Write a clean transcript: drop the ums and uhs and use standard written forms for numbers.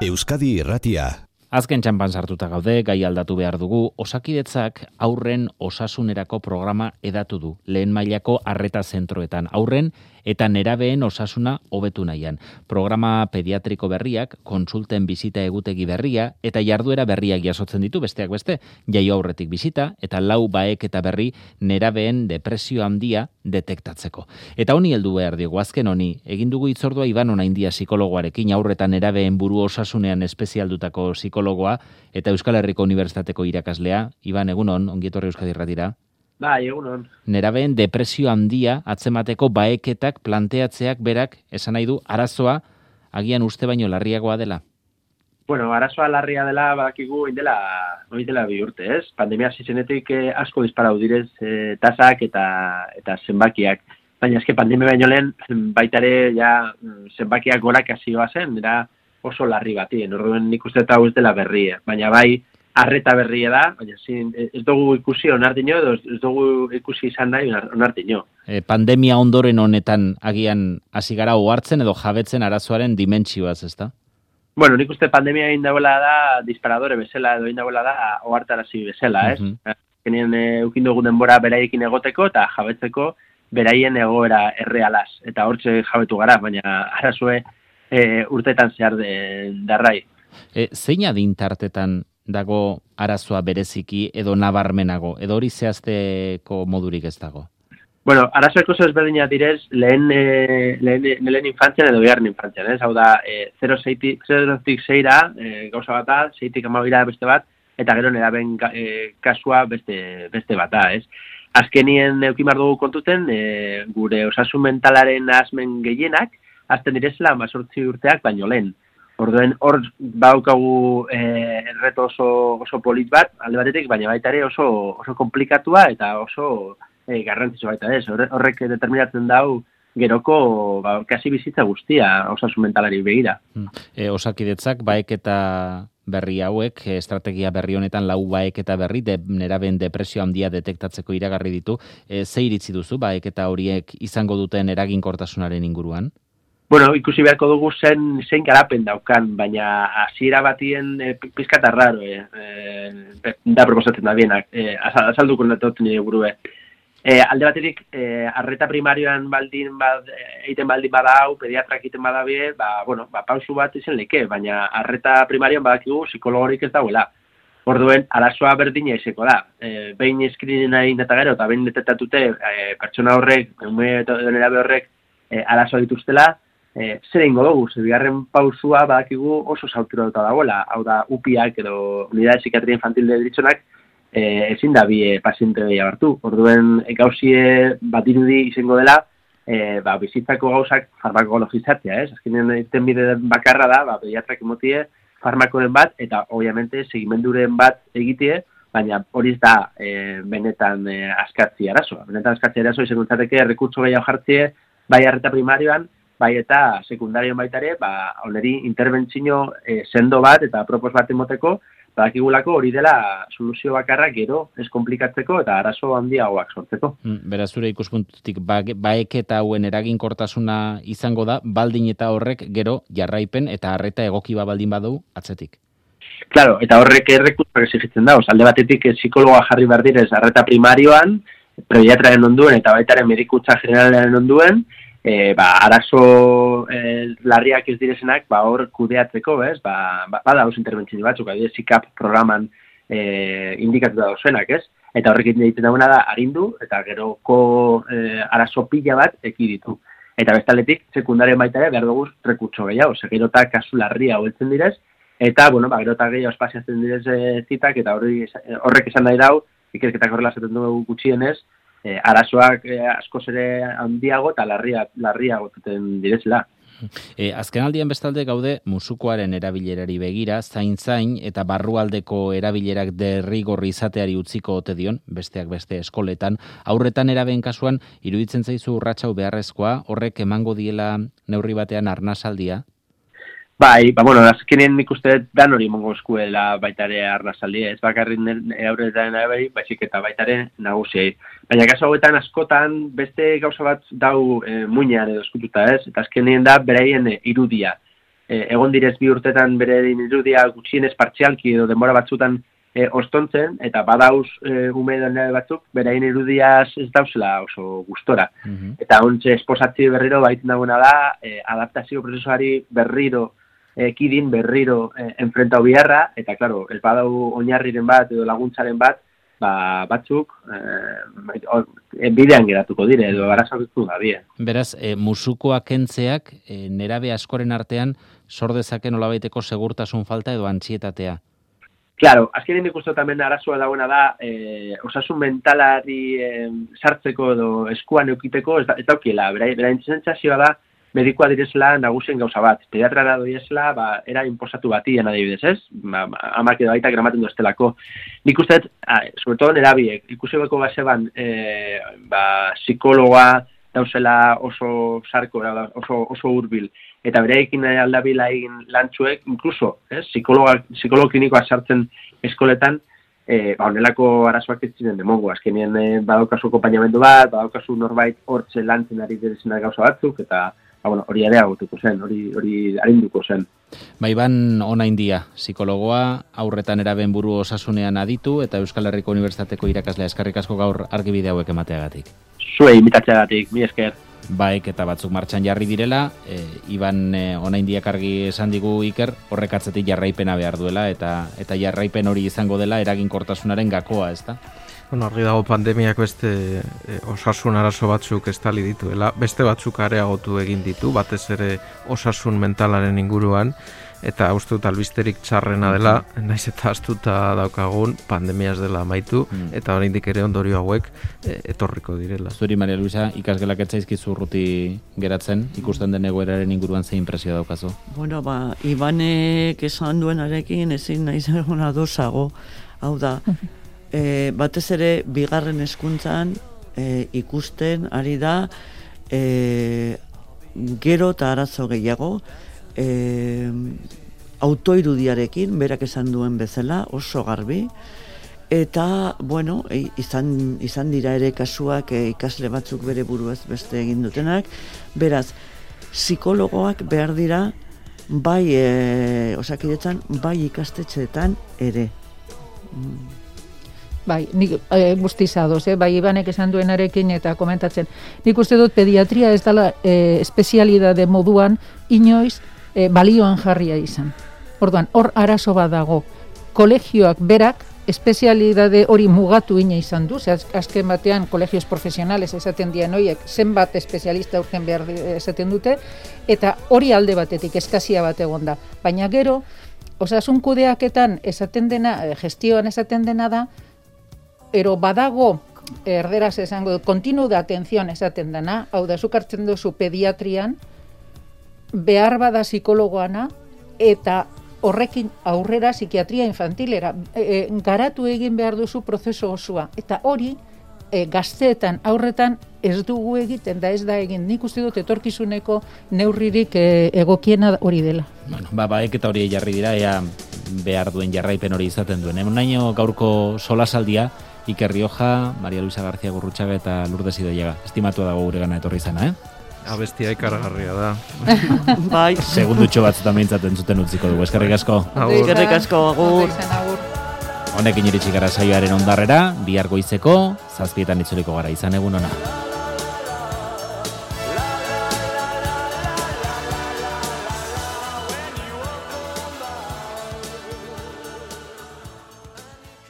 Euskadi Irratia. Azken txanpan sartuta gaude, gai aldatu behar dugu, Osakidetzak haurren osasunerako programa edatu du, lehen mailako arreta zentroetan, haurren eta nerabeen osasuna hobetu nahian. Programa pediatriko berriak, konsulten bizita egutegi berria eta jarduera berriak jasotzen ditu, besteak beste, jaio aurretik bizita eta 4 baeketa berri nerabeen depresio handia detektatzeko. Eta honi heldu behar diogu, azken honi, egin dugu hitzordua Iban Onaindia psikologoarekin, haurretan nerabeen buru osasunean espezialdutako psikologoa eta Euskal Herriko Unibertsitateko irakaslea. Iban, egunon, ongi etorri Euskadi Irratira. Bai, egunon. Nerabeen depresio handia atzemateko baeketak planteatzeak berak esan nahi du arazoa agian uste baino larriagoa dela. Bueno, arazoa larria dela badakigu indela 2 urte, ez? Pandemia hasi zenetik asko disparatu direz tasak eta zenbakiak. Baina eske pandemia baino lehen baita ere ja zenbakiak gorak hasioa zen, era oso larri bati. Orduan nik uste eta ez dela berria, baina bai arreta berria da, baina ez dugu ikusi onartino edo ez dugu ikusi izan nahi onartino. Pandemia ondoren honetan agian hasi gara ohartzen edo jabetzen arazoaren dimentsioaz, ezta? Bueno, nik uste pandemia egin dagoela da disparadore bezala edo egin dagoela da ohartarazi bezala, ez? Genien eukin dugu denbora beraiekin egoteko eta jabetzeko beraien egoera errealaz. Eta hortxe jabetu gara, baina arazoe urteetan zehar darrai. Zein adin tartetan dago arazoa bereziki edo nabarmenago, edo hori zehazteko modurik ez dago? Bueno, arazoek oso ezberdinak direz lehen infantzian edo bigarren infantzian, ez? Hau da, 0-tik 6ra gauza bat da, 6-tik 12ra beste bat, eta gero neraben kasua beste bat da, ez? Azkenien eukimar dugu kontuten, gure osasun mentalaren asmen gehienak, azten direzela 18 urteak baino lehen. Orduen hor baukagu erreto oso polit bat, alde batetik, baina baita ere oso komplikatua eta oso garrantzitsu baita ez. Horrek determinatzen dau geroko kasi bizitza guztia osasun mentalari begira. Osakidetzak baeketa berri hauek, estrategia berri honetan 4 baeketa berri, neraben depresio handia detektatzeko iragarri ditu. Ze iritzi duzu baeketa horiek izango duten eraginkortasunaren inguruan? Bueno, ikusi beharko dugu zein garapen daukan, baina hasiera batien pizkat arraro, da proposatzen da bienak, azalduko natotzen nire burue. Alde baterik, arreta primarioan egiten baldin badau, pediatrak egiten badabie, pausu bat izan leke, baina arreta primarioan badakigu psikologorik ez dauela. Orduen, arazoa berdina izeko da. Behin eskrinena egin eta gero, eta behin detektatute pertsona horrek, nerabe horrek arazoa dituztela, zer egingo dugu, bigarren pausua badakigu oso sauturatuta dagoela, hau da UPIak edo Unidade Psikiatria Infantil de Deritzonak ezin da bi paziente behia hartu. Orduen gauzie bat irudi izango dela bizitzako gauzak farmakologizatzea, ez? Azkenean egiten bide bakarra da, pediatrak emotie farmakoren bat eta obviamente segimenduren bat egitie, baina hori ez da benetan askatzi arazoa. Benetan askatzi arazoa izango litzateke errekurtso gehiago jartzie bai arreta primarioan, bai eta sekundarioan baita ere, oneri interbentzio sendo bat eta propos bat emoteko, badakigulako hori dela soluzio bakarra gero ez komplikatzeko eta arazo handiagoak sortzeko. Beraz, zure ikuspuntutik baeketa hauen eraginkortasuna izango da, baldin eta horrek gero jarraipen eta arreta egoki baldin badu atzetik. Claro, eta horrek errekurtsoak exigitzen da, alde batetik psikologoa jarri behar direz arreta primarioan, pediatraren onduen eta baitaren medikutza generalaren onduen, arazo larriak ez direzenak, hor kudeatzeko, ez? Bada oso interbentzio batzuk, adibidez SICAP programan indikatuta dauzenak, ez? Eta horrek egiten dagoena da arindu, eta geroko arazo pila bat ekiditu. Eta bestaletik, sekundarien baita ere, behar dugu rekurtso gehiago, gerota kasu larria hobetzen direz, eta, gerota gehiago espaziatzen direz zitak, eta horrek esan nahi dau, ikerketak horrela zaten dugu gutxienez, arazoak askoz ere handiago eta larriago zuten direzela. Azken aldian bestalde gaude musukoaren erabilerari begira, zain eta barrualdeko erabilerak derrigorri izateari utziko ote dion, besteak beste eskoletan. Aurretan erabeen kasuan, iruditzen zaizu urratsau beharrezkoa, horrek emango diela neurri batean arnasaldia? Bai, azkenean nik uste dan hori mongo eskuela baitare arnasaldia, ez bakarrik aurretan baizik eta baitare nagusiei. Baina kasu hauetan askotan beste gauza bat dau muinean edo eskututa, ez? Eta azkenean da beraien irudia. egon direz 2 urtetan bere irudia gutxienez partzialki edo denbora batzutan ostontzen, eta badauz ume batzuk, beraien irudiaz ez dauzela oso gustora. Eta ontxe esposatzi berriro baiten dagoena da, adaptazio prozesuari berriro ekidin, berriro enfrentau biharra, eta klaro, ez badau oinarriren bat edo laguntzaren bat, batzuk bidean geratuko dire, edo arazokitu da bie. Beraz, musukoak kentzeak nerabe askoren artean sor dezaken nolabaiteko segurtasun falta edo antsietatea. Claro, azkenean ikusten tamen arazoa dagoena da, osasun mentalari sartzeko edo eskuan eukiteko ez daukiela, beraien sentsazioa da, medikoa direzela nagusien gauza bat. Pediatrara doiezela, era inposatu batien adibidez, ez? Amak edo aitak gramaten doztelako. Nik uste, sobre todo nerabiek, ikusi beko baseban, psikologa dauzela oso sarko, oso hurbil, eta bereekin aldabila egin lantzuek, inkluso, psikologo klinikoa sartzen eskoletan, honelako arazoak ez ziren demongo, azkenien badaukazu konpainamendu bat, badaukazu norbait hortze lantzen ari direzenak gauza batzuk, eta hori areagotuko zen, hori arinduko zen. Iban Onaindia, psikologoa, aurretan eraben buru osasunean aditu, eta Euskal Herriko Unibertsitateko irakaslea, eskerrik asko gaur argibide hauek emateagatik. Zuei imitatzeagatik, mi esker. Baek eta batzuk martxan jarri direla, Iban Onaindiak argi esan digu Iker, horrek atzetik jarraipena behar duela, eta jarraipen hori izango dela eraginkortasunaren gakoa, ezta? Argi dago pandemiak beste osasun arazo batzuk estali dituela, beste batzuk areagotu egin ditu, batez ere osasun mentalaren inguruan, eta uste dut albisterik txarrena dela, naiz eta astuta daukagun, pandemia ez dela amaitu, eta oraindik ere ondorio hauek etorriko direla. Zuri, Maria Luisa, ikasgelak etzaizkizu urruti geratzen, ikusten den egoeraren inguruan zein impresio daukazu? Bueno, Ibanek esan duenarekin ezin naiz egon adosago, hau da, batez ere bigarren hezkuntzan ikusten ari da gero eta arazo gehiago autoirudiarekin, berak esan duen bezala, oso garbi, eta, bueno, izan dira ere kasuak ikasle batzuk bere buruaz beste egin dutenak, beraz, psikologoak behar dira bai Osakidetzan, bai ikastetxeetan ere. Bai, nik guztiz ados, bai Ibanek esan duenarekin eta komentatzen. Nik uste dut pediatria ez dela espezialidade moduan inoiz balioan jarria izan. Orduan, hor arazo bat dago. Kolegioak berak espezialidade hori mugatu ina izan du, azken batean kolegios profesionales esaten dien horiek zenbat espezialista urten behar esaten dute, eta hori alde batetik eskazia bat egon da. Baina gero, osasun kudeaketan esaten dena, gestioan esaten dena da, ero badago, erderaz esango dut, kontinu de atención esaten dena, hau da, zuk hartzen duzu pediatrian, behar bada psikologoana, eta horrekin aurrera psikiatria infantilera, garatu egin behar duzu prozesu osoa, eta hori, gazteetan, aurretan, ez dugu egiten, da ez da egin. Nik uste dut etorkizuneko neurririk egokiena hori dela. Bueno, baek eta hori jarri dira, ea behar duen jarraipen hori izaten duen. Naino gaurko solasaldia, Iker Rioja, Maria Luisa García Gurrutxaga eta Lourdes Idoiaga. Estimatu dago gure gana etorri izana, Abestia ikaragarria da. Bai. Segundutxo batzutan behintzat entzuten utziko dugu. Eskerrik asko. Eskerrik asko, agur. Honekin iritsi gara saioaren ondarrera, bihar goizeko, 7:00 itzuliko gara, izan egun ona.